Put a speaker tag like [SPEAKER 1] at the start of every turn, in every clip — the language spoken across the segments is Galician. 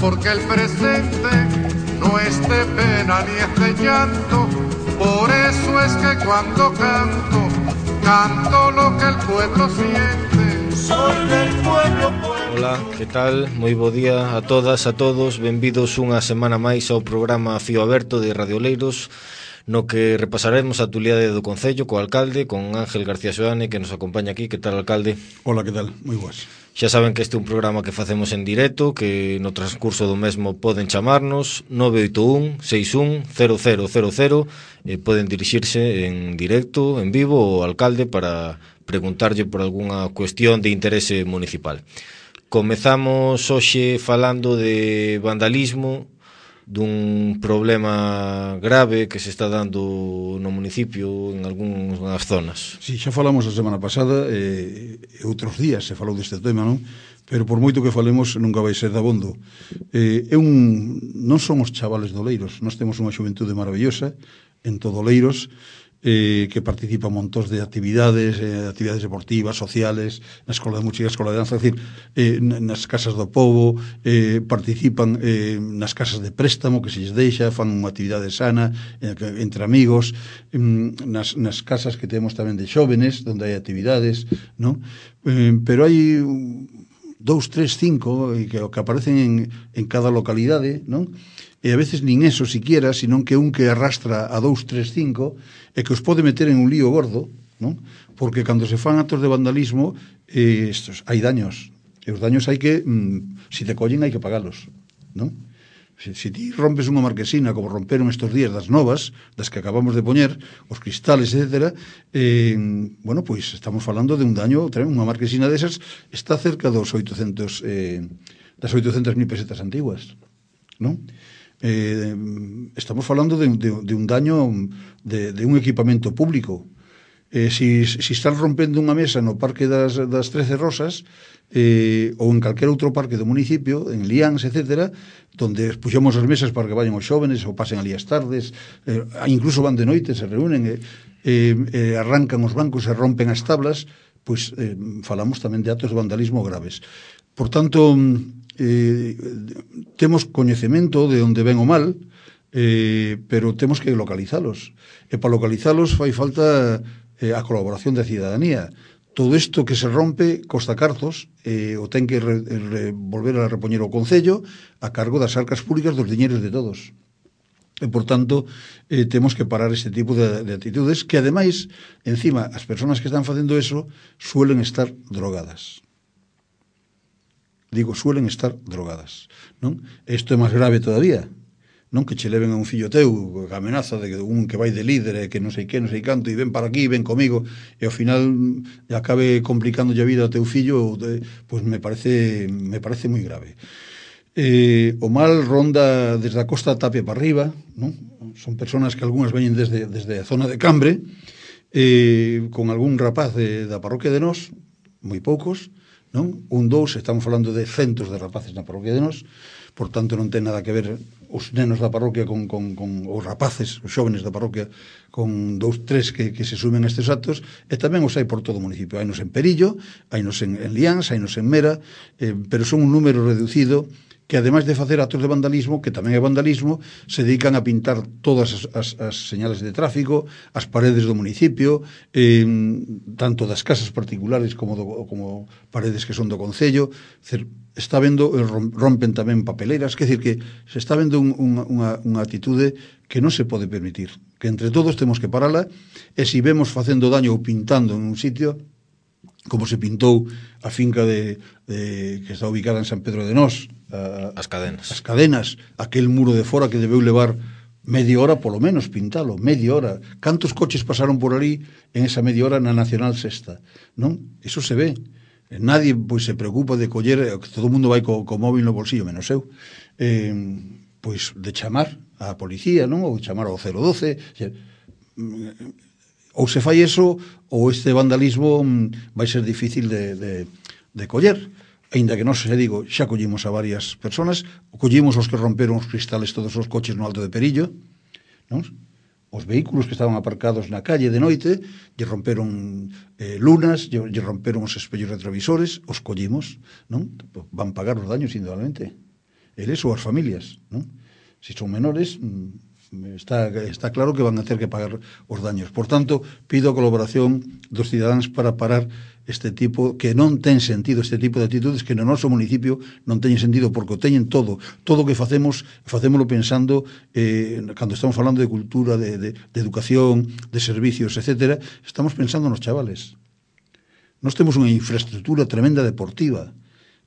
[SPEAKER 1] porque el presente no es de pena ni es de llanto. Por eso es que cuando canto, canto lo que el pueblo siente. Soy del pueblo, pueblo.
[SPEAKER 2] Ola, que tal? Moi bo día a todas, a todos. Benvidos unha semana máis ao programa Fío Aberto de Radio Oleiros, no que repasaremos a actualidade do Concello co alcalde, con Ángel García Xoane, que nos acompaña aquí. Que tal, alcalde?
[SPEAKER 3] Ola, que tal? Moi boas.
[SPEAKER 2] Xa saben que este é un programa que facemos en directo, que no transcurso do mesmo poden chamarnos 981 61 0000 e poden dirixirse en directo, en vivo, ao alcalde para preguntarlle por algunha cuestión de interese municipal. Comezamos hoxe falando de vandalismo, dun problema grave que se está dando no municipio en algunhas zonas.
[SPEAKER 3] Si, xa falamos a semana pasada outros días se falou deste tema, non? Pero por moito que falemos nunca vai ser dabondo. Non son os chavales de Oleiros, nós temos unha xuventude maravillosa en todo Oleiros, que participa en montón de actividades deportivas, sociales, na Escola de Música, Escola de Danza, é dicir, nas casas do povo, participan nas casas de préstamo que se lles deixa, fan unha actividade sana entre amigos, nas casas que temos tamén de xóvenes, onde hai actividades, non? Pero hai 2, 3, 5 que aparecen en cada localidade, non? E a veces nin eso siquiera, senón que un que arrastra a 2, 3, 5 e que os pode meter en un lío gordo, non? Porque cando se fan actos de vandalismo hai daños, e os daños hai que, se te collen hai que pagalos, non? Se ti rompes unha marquesina, como romperon estes días das novas, das que acabamos de poñer, os cristales, etc., bueno, pois estamos falando de un daño, unha marquesina desas está cerca dos 800, das 800.000 pesetas antiguas, non? Estamos falando de un daño de un equipamento público. Si están rompendo unha mesa no Parque das 13 Rosas ou en calquera outro parque do municipio, en Liáns, etc., donde puxemos as mesas para que vayan os xóvenes ou pasen ali as tardes, incluso van de noite, se reúnen arrancan os bancos e rompen as tablas, pois falamos tamén de actos de vandalismo graves. Por tanto, temos coñecemento de onde ven o mal, pero temos que localizalos, e para localizalos fai falta a colaboración da cidadanía. Todo isto que se rompe costa carzos, o ten que volver a repoñer o Concello a cargo das arcas públicas dos diñeiros de todos. E, por tanto, temos que parar este tipo de actitudes que, ademais, encima, as persoas que están facendo eso suelen estar drogadas. Digo, suelen estar drogadas, non? Isto é máis grave todavía, non? Que che leven a un fillo teu a amenaza de un que vai de líder e que non sei que, non sei canto, e ven para aquí, ven comigo, e ao final acabe complicándolle a vida ao teu fillo, pois me parece moi grave. O mal ronda desde a Costa Tapia para arriba, non? Son personas que algunhas veñen desde a zona de Cambre, con algún rapaz da parroquia de Nós, moi poucos, non? 1, 2, estamos falando de centos de rapaces na parroquia de Nós, por tanto non ten nada que ver os nenos da parroquia con os rapaces, os xóvenes da parroquia, con 2, 3 que se sumen a estes actos, e tamén os hai por todo o municipio. Hainos en Perillo, hainos en Liáns, hainos en Mera, pero son un número reducido que, ademais de facer actos de vandalismo, que tamén é vandalismo, se dedican a pintar todas as señales de tráfico, as paredes do municipio, tanto das casas particulares como paredes que son do Concello. Está vendo, rompen tamén papeleras, quer decir que se está vendo unha actitude que non se pode permitir, que entre todos temos que parala, e se vemos facendo daño ou pintando en un sitio, como se pintou a finca que está ubicada en San Pedro de Nós,
[SPEAKER 2] as
[SPEAKER 3] cadenas, aquel muro de fora que debeu levar media hora polo menos pintalo, media hora. Cantos coches pasaron por ali en esa media hora na Nacional Sexta, non? Eso se ve. Nadie pois se preocupa de coller, todo o mundo vai co móvil no bolsillo, menos eu, pois de chamar á policía, non? Ou chamar ao 012, ou se fai eso, ou este vandalismo vai ser difícil de coller. Ainda que non se digo, xa collimos a varias personas, collimos os que romperon os cristales todos os coches no Alto de Perillo, non? Os vehículos que estaban aparcados na calle de noite, lle romperon lunas, lle romperon os espellos retrovisores, os collimos, non? Van pagar os daños, indudablemente. eles ou as familias, non? Se son menores, está claro que van a ter que pagar os daños. Por tanto, pido a colaboración dos cidadáns para parar este tipo, que non ten sentido, este tipo de actitudes que no noso municipio non teñen sentido, porque o teñen todo o que facémoslo pensando, cando estamos falando de cultura, de educación, de servicios, etcétera, estamos pensando nos chavales. Nós temos unha infraestructura tremenda deportiva,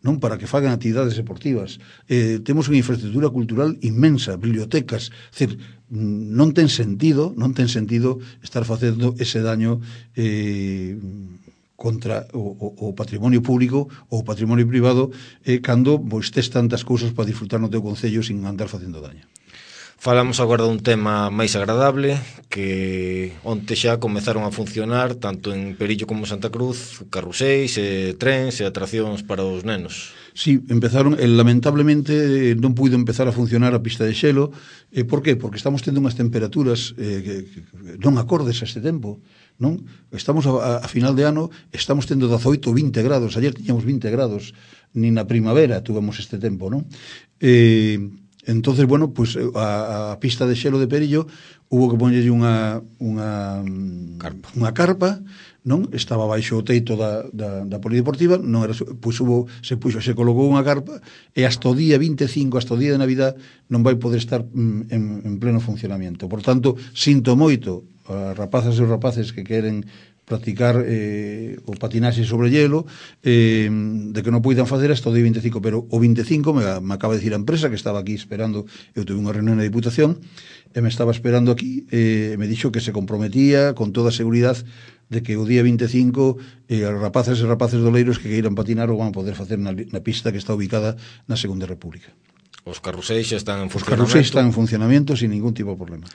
[SPEAKER 3] non, para que fagan actividades deportivas. Temos unha infraestructura cultural inmensa, bibliotecas, decir, non ten sentido estar facendo ese daño contra o patrimonio público ou o patrimonio privado cando tes tantas cousas para disfrutar no teu concello sin andar facendo daño.
[SPEAKER 2] Falamos agora dun tema máis agradable, que onte xa comezaron a funcionar tanto en Perillo como Santa Cruz carruseis, trens e atraccións para os nenos.
[SPEAKER 3] Sí, empezaron, lamentablemente non puido empezar a funcionar a pista de xelo. Por qué? Porque estamos tendo unhas temperaturas que non acordes a este tempo, non? Estamos a final de ano, estamos tendo 18 ou 20 grados, ayer tiñamos 20 grados, nin na primavera tuvemos este tempo, non? Entonces, bueno, pues a pista de xelo de Perillo hubo que poñerlle unha carpa, non? Estaba baixo o teito da polideportiva, non era, pois se colocou unha carpa e hasta o día 25, hasta o día de Navidad non vai poder estar en pleno funcionamento. Por tanto, sinto moito a rapazas e os rapaces que queren practicar o patinaxe sobre hielo, de que non poidan facer hasta o día 25, pero o 25 me acaba de decir a empresa que estaba aquí esperando, eu tuve unha reunión na Diputación e me estaba esperando aquí, me dixo que se comprometía con toda a seguridad de que o día 25 as rapazas e rapaces doleiros que queiran patinar o van a poder facer na pista que está ubicada na Segunda República.
[SPEAKER 2] Os carruseis xa están en funcionamento.
[SPEAKER 3] Os carruseis están en funcionamento sin ningún tipo de problema.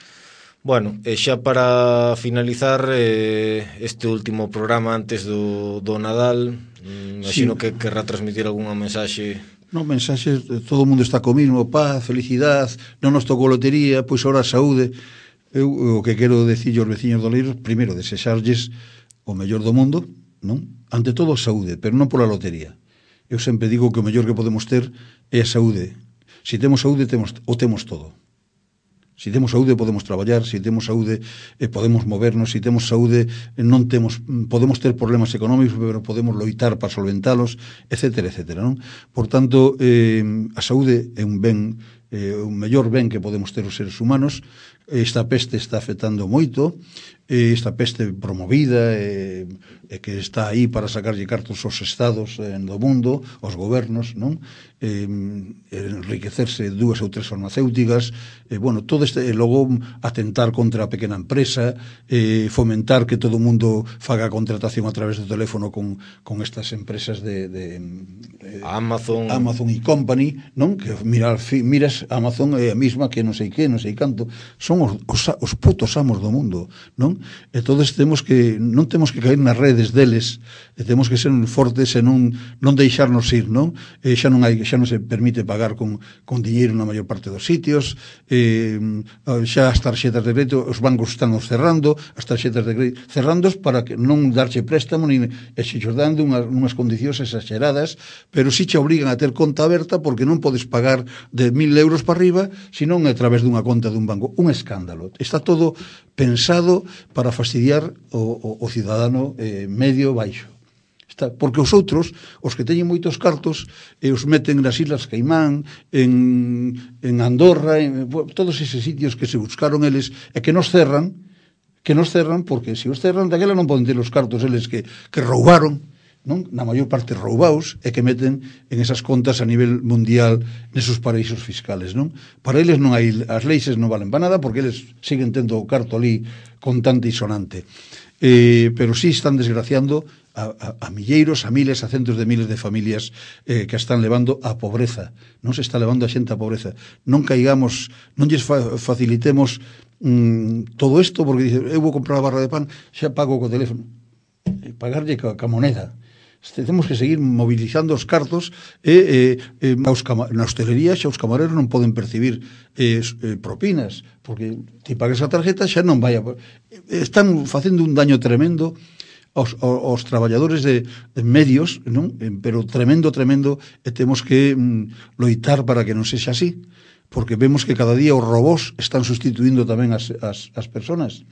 [SPEAKER 2] Bueno, e xa para finalizar este último programa antes do Nadal, imagino que querrá transmitir algunha mensaxe.
[SPEAKER 3] Non, mensaxes, todo o mundo está co mismo, paz, felicidade, non nos tocou lotería, pois ahora saúde. Eu o que quero decir aos veciños doleiros, primeiro, desexarlles o mellor do mundo, non? Ante todo saúde, pero non pola lotería. Eu sempre digo que o mellor que podemos ter é a saúde. Se temos saúde, temos todo. Se temos saúde podemos traballar, se temos saúde podemos movernos, se temos saúde podemos ter problemas económicos, pero podemos loitar para solventalos, etcétera, etcétera, non? Por tanto, a saúde é un ben, o mellor ben que podemos ter os seres humanos. Esta peste está afectando moito, esta peste promovida que está aí para sacarlle cartos aos estados do mundo, aos gobernos, non? Enriquecerse 2 ou 3 farmacéuticas, bueno, todo este, logo atentar contra a pequena empresa, fomentar que todo o mundo faga contratación a través do teléfono con estas empresas de
[SPEAKER 2] Amazon
[SPEAKER 3] e Company, non? Que miras Amazon é a mesma que non sei que, non sei canto, son os putos amos do mundo, non? E todos non temos que caer nas redes deles, temos que ser fortes e non deixarnos ir, non? Xa non se permite pagar con diñeiro na maior parte dos sitios, xa as tarxetas de crédito, os bancos están cerrando, as tarxetas de crédito cerrándos para que non darche préstamo, e se xos dando unhas condicións exageradas, pero si che obrigan a ter conta aberta porque non podes pagar de 1.000 euros para arriba, senón a través dunha conta dun banco. Un escándalo. Está todo pensado para fastidiar o cidadano medio baixo. Porque os outros, os que teñen moitos cartos, os meten nas Islas Caimán, en Andorra, todos eses sitios que se buscaron eles, e que nos cerran, porque se os cerran daquela non poden ter os cartos eles que roubaron, non? Na maior parte roubaos, e que meten en esas contas a nivel mundial nesos paraísos fiscales, non? Para eles non hai, as leis non valen para nada porque eles siguen tendo o carto ali contante e sonante. Pero sí están desgraciando a milleiros, a miles, a centos de miles de familias que están levando a pobreza. Non se está levando a xente a pobreza. Non caigamos, non lles facilitemos todo isto, porque dice, eu vou comprar a barra de pan, xa pago co teléfono. Pagarlle ca moneda. Temos que seguir mobilizando os cartos na hostelería xa os camareros non poden percibir propinas porque ti pagas a tarjeta xa non vai están facendo un daño tremendo aos traballadores de medios, non? Pero tremendo, e temos que loitar para que non sexa así, porque vemos que cada día os robós están sustituindo tamén as persoas.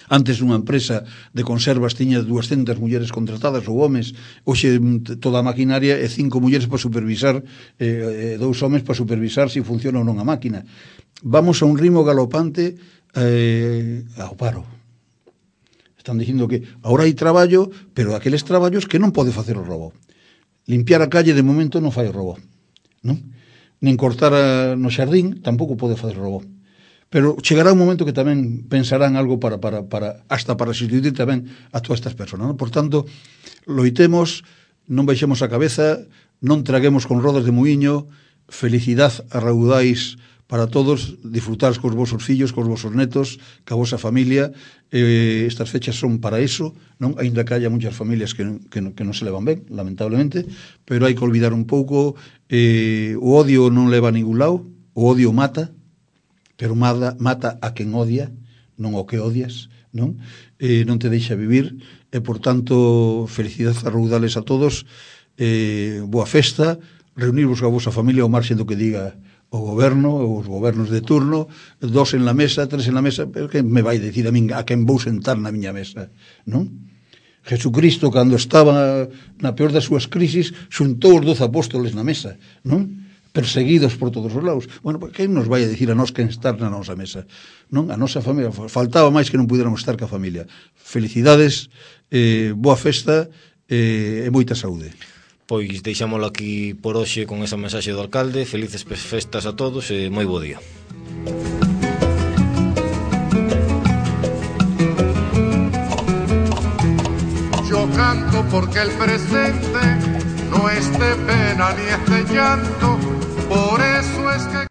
[SPEAKER 3] Antes unha empresa de conservas tiña 200 mulleres contratadas ou homes, hoxe toda a maquinaria e 5 mulleres para supervisar, 2 homes para supervisar se funciona ou non a máquina. Vamos a un ritmo galopante ao paro. Están dicindo que agora hai traballo, pero aqueles traballos que non pode facer o robot. Limpiar a calle de momento non fai o robot, non? Nin cortar no xardín tampouco pode facer o robot. Pero chegará un momento que tamén pensarán algo hasta para sustituir tamén a todas estas persoas, non? Por tanto, loitemos, non baixemos a cabeza, non traguemos con rodas de muiño, felicidade a raudais para todos, disfrutar cos vosos fillos, cos vosos netos, ca vosa familia. Estas fechas son para eso, non? Ainda que haya muchas familias que non se levan ben, lamentablemente, pero hai que olvidar un pouco, o odio non leva a ningún lado, o odio mata, pero mata a quen odia, non o que odias, non? Non te deixa vivir, e, por tanto, felicidades a raudales a todos, boa festa, reunirvos a vosa familia ao marxen do que diga o goberno, os gobernos de turno, 2 en la mesa, 3 en la mesa, pero que me vai decir a min a quen vou sentar na miña mesa, non? Jesucristo, cando estaba na peor das súas crisis, xuntou os 12 apóstoles na mesa, non? Perseguidos por todos os lados. Bueno, quen nos vai a dicir a nós quen estar na nosa mesa? Non? A nosa familia, faltaba máis que non pudiéramos estar ca familia. Felicidades, boa festa e moita saúde.
[SPEAKER 2] Pois deixámolo aquí por hoxe con esa mensaxe do alcalde. Felices festas a todos e moi bo día.
[SPEAKER 1] Yo canto porque el presente no es de pena ni es de llanto. Por eso es que